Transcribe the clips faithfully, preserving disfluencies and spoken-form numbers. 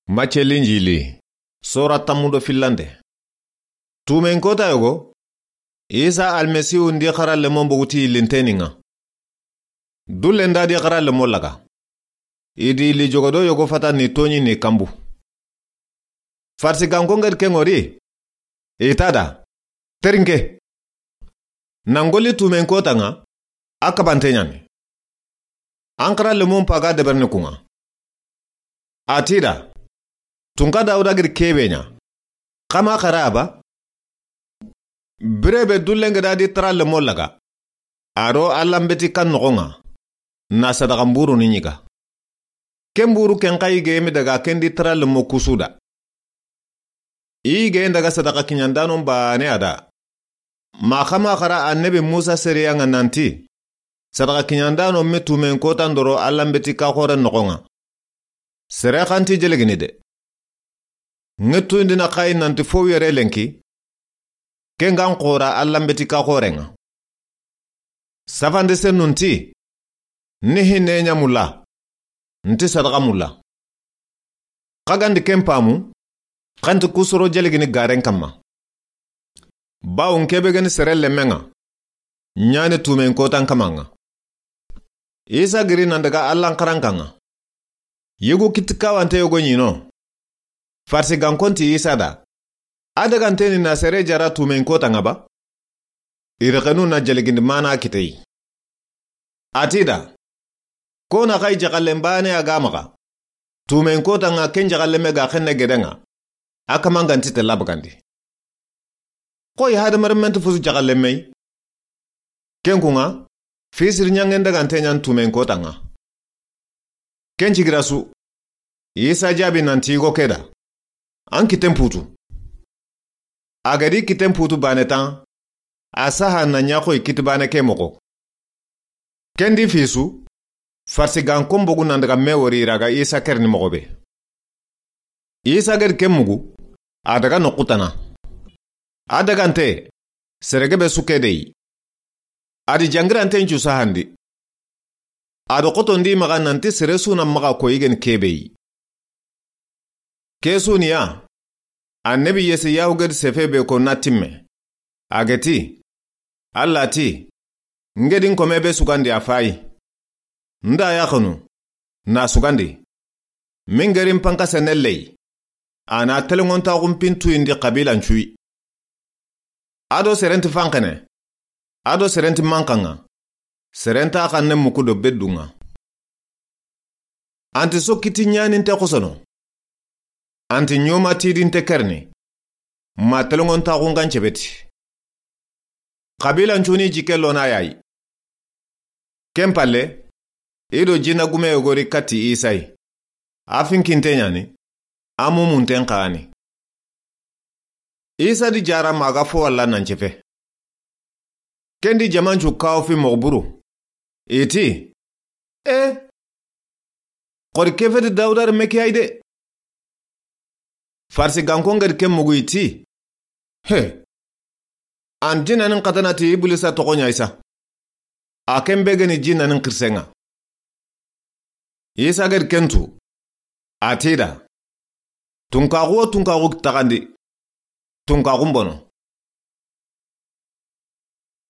Macce Linjili, sora tammu do fillande. Tuumen kota yogo, Isa Almasihu ndi xara lemon boguti yillinteninŋa. Dullen da di xara lemon laga. I di yilli jogodo yogo fata ni toɲi ni kanbu. Farisiganko ŋa di ken ŋori, i ta da, terinke. Nan golli tuumen kota ŋa, a kabante ɲani. An xara lemon paga deberni kunŋa. A ti da, tunka Dawuda giri kebe ɲa. Xama xara ba? Birebe dullen ga da di tara lemon laga. A do Alla mbeti kan noxon ŋa. Na sadaxa mburu ni ɲiga. Ken buru ken xa i gemi daga ken di tara lemo kusu da. I ge daga sadaxa kiɲandanon bane a da. Ma xama xara annabi Musa seriya ŋa nanti, sadaxa kiɲandano me tuumen kotan doro Alla mbeti ka xoren noxon ŋa. Sere xanti jelegini de. Ŋettundina xayi nanti fo yere lenki, ken gan xora Alla mbeti ka xoren ŋa. Safande sennun ti, ni hinne ɲa mulla, nti sadaxa mulla. Xa gandi ken pamu, xanti kusoro jelegini garen kamma. Bawun kebe gani sere lemmen ŋa, ɲani tuumen kotan kaman ŋa. Isa giri nan daga Allan xarankan ŋa. Yugu kitti kawante yogo ɲino. Farisigankon ti Isa da, a daganteni na sere jara tuumen kotan ŋa ba? I rexenu na jelegindi mana kitey. A ti da, ko na xayi jaxallen bane a ga maxa. Tuumen kotan ŋa ken jaxallen me ga xenne geden ŋa. A kaman ganti te labagandi. Xoyi hadamaren mente fusu jaxallen mey. Ken kun ŋa, fisiri ɲangen dagante ɲan tuumen kotan ŋa. Ken cigira su, Isa jaabi nanti yigo ke da, an kitten putu. A ga di kitten putu bane tan, a saha na ɲa xoyi kitti bane ke moxo. Ken di fisu, Farisigankon bogu nan daga me wori i ra ga Isa kerini moxo be. Isa ga di ken mugu, a daga noxu tana. A dagante, sere gebe su ke de yi. A di jangiranten cu sahandi. A do xotondi maxa nanti sere su na maxa ko yigen kebe yi. Ke su ni ya, annabi Yesayahu ga di sefe be ko na timme. A ga ti, Alla ti, n ga di n kome be sugandi a fayi. N da yaxanu, na sugandi. Min ga ri n panka sene ley. A na telengontaxun pintuyindi xabilan cuyi. A do serenti fanxene. A do serenti manxan ŋa. Serenta xanne muku do beddun ŋa. Anti so kitti ɲaninte xosono. Anti ɲoma tidinte kerini. Ma telengontaxun gan cebeti. Xabilan cuni jikke lona yayi. Ken palle, i do jinna gume yogo ri katti Isa yi. A finkinte ɲani, a mumunten xani. Isa di jara maga fo walla nan cefe. Ken di jamancu kawo fi moxo buru. I ti, e, xori ke feti Dawuda renme ke yi de. Farisigankon ga di ken mugu i ti, he, an jinnanin xatana ti Ibilisa toxo ɲa Isa. A ken be ga ni jinnanin xirisen ŋa. Isa ga di ken tu, a ti da, tunkaxu wo tunkaxu taxandi, tunkaxun bono.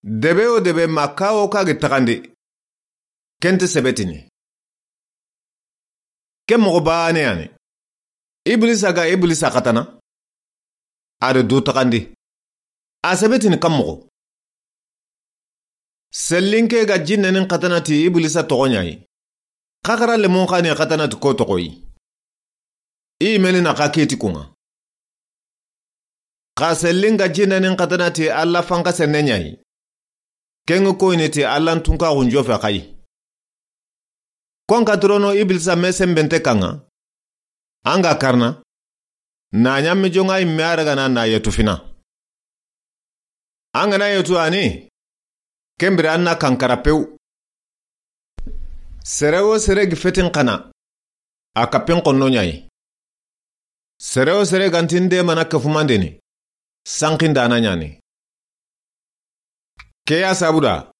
Debe wo debe ma kawo ka gi taxandi, ken ti sebetini. Ken moxo bane yani. Ibilisa ga Ibilisa xatana, a do du taxandi. A sebetini kan moxo. Sellinke ga jinnanin xatana ti Ibilisa toxo ɲa yi. Xaxara lemon xani xatana ti ko toxo yi. I meni na xa keti kun ŋa. Xa sellin ga jinnanin xatana ti Alla fanka senne ɲa yi. Ken ŋa koyini ti Allan tunkaxun jofe xayi. Kon ka torono Ibilisa me senbente kan ŋa. An ga karana, na ɲammi jonŋa yimme a ragana na yetu fina. An ga na yetu ani, ken bire an na kankara pew. Sere wo sere gi fetin xana, a kappin xonno ɲa yi. Sere wo sere ganti n demana kefumandeni, sanxindana ɲani. Ke ya sabuda,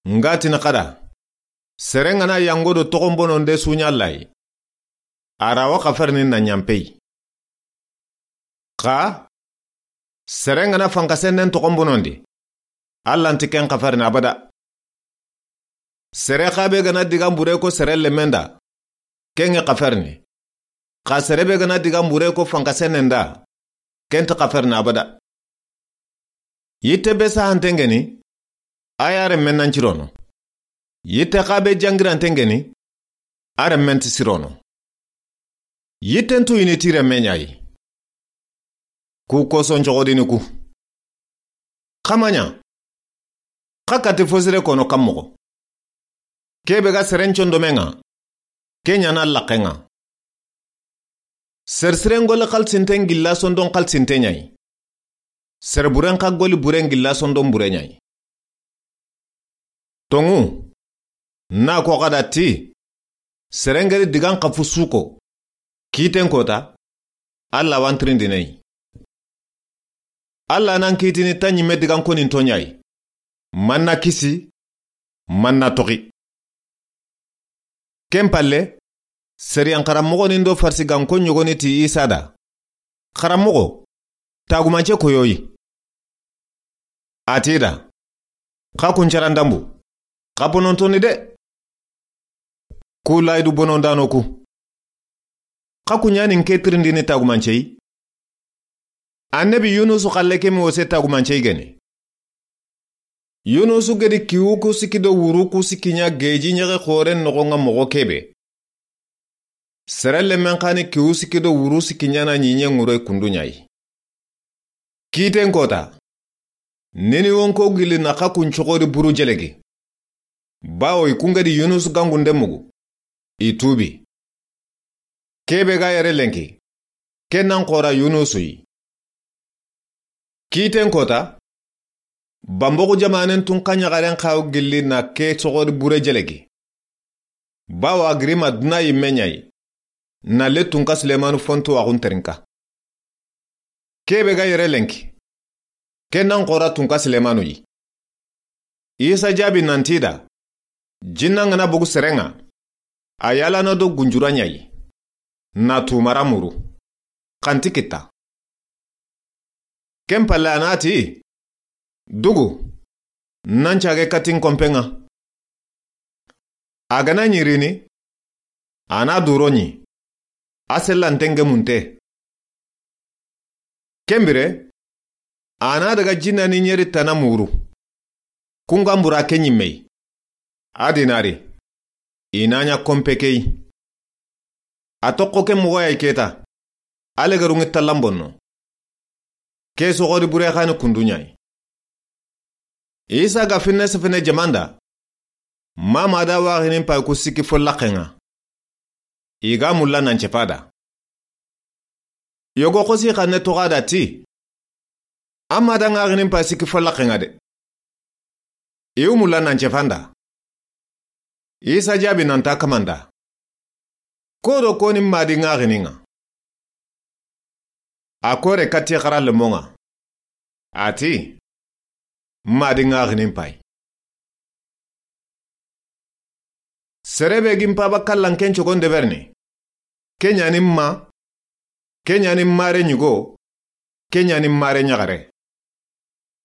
n ga tini xada, sere n ga na yango do toxon bonon de su ɲa layi. A ra wa xafarini na ɲanpe yi. Xa sere n ga na fankasennen toxon bonondi, Alla nti ken xafarini abada. Sere xa be ga na digan bure ko sere lemmen da, ken ŋa xafarini. Xa sere be ga na digan bure ko fankasennen da, ken nta xafarini abada. Yitte be sahanten ŋeni, a ya renmen nan cirono. Yitte xa be jangiranten ŋeni, a renmen ti sirono. Yitten tuyini ti renme ɲa yi. Ku koson coxodini ku. Xa ma ɲa, xa kati fo sire kono kan moxo. Ke be ga seren condomen ŋa, ke ɲa na laxen ŋa. Sersiren goli xalisinten gilla sondon xalisinte ɲa yi. Serburen xa goli buren gilla sondon bure ɲa yi. Tonŋu, na ko xa da ti, seren ga ri digan xafu su ko, kiiten kota, Alla wa n tirindini yi. Alla na n kiitini ta ɲimme digan koninto ɲa yi. Ma n na kisi, ma n na toxi. Ken palle, sariyan xaranmoxonin do farisiganko ɲogoni ti Isa da, Xaranmoxo, tagumance koyoyi. A ti da, xa kun caran danbu, xa bonontoni de. Ku layidu bonondano ku. Xa kun ɲa ni n ke tirindini tagumance yi. Annabi Yunusu xalle ke mi wose tagumance yi geni. Yunusu ga di kiwu ku sikki do wuru ku sikki ɲa geji ɲexe xoren noxon ŋa moxo ke be. Sere lemmen xa ni kiwu sikki do wuru sikki ɲa na ɲiɲe ŋuroy kundu ɲa yi. Kiiten kota, Niniwonko gilli na xa kun coxodi buru jelegi. Bawo i kun ga di Yunusu gangunde mugu, i tuubi. Ke be ga yere lenki, ke nan xora Yunusu yi. Kiiten kota, Bamboxu jamanen tun xa ɲaxaren xawo gilli na ke coxodi bure jelegi. Bawo a giri ma duna yimme ɲa yi, na le Tunka Sulemanu fontuwaxun terinka. Ke be ga yere lenki, ke nan xora Tunka Sulemanu yi. Isa jaabi nan ti da, jinnan ga na bogu seren ŋa, a yalana do gunjura ɲa yi, na tumara muru, xa nti kitta. Ken palle a na ti, dugu, nan cage katin konpen ŋa. A ga na ɲi rini, a na duro ɲi, a sellanten gemunte. Ken bire, a na daga jinna ni ɲeri tana muru. Kun ga mbura ke ɲimme yi. A dinari, i na ɲa konpe ke yi. A toxo ke moxo ya yi keta, a legerun ŋi tallan bonno. Ke soxodi bure xa ni kundu ɲa yi. Isa ga finne sefene jaman da, ma ma da waxinin pay ku sikki fo laxen ŋa. I ga mulla nan cefa da. Yogo xosi xanne toxo a da ti, a ma da ŋaxinin pay sikki fo laxen ŋa de. I wu mulla nan cefan da. Isa jaabi nan ta kaman da, ko do koni ma di ŋaxinin ŋa. A kore katti xara lemon ŋa. A ti, ma di ŋaxinin pay. Sere be gi n paba kallan ken cogon deberini. Ke ɲa ni ma, ke ɲa ni mare ɲigo, ke ɲa ni mare ɲaxare.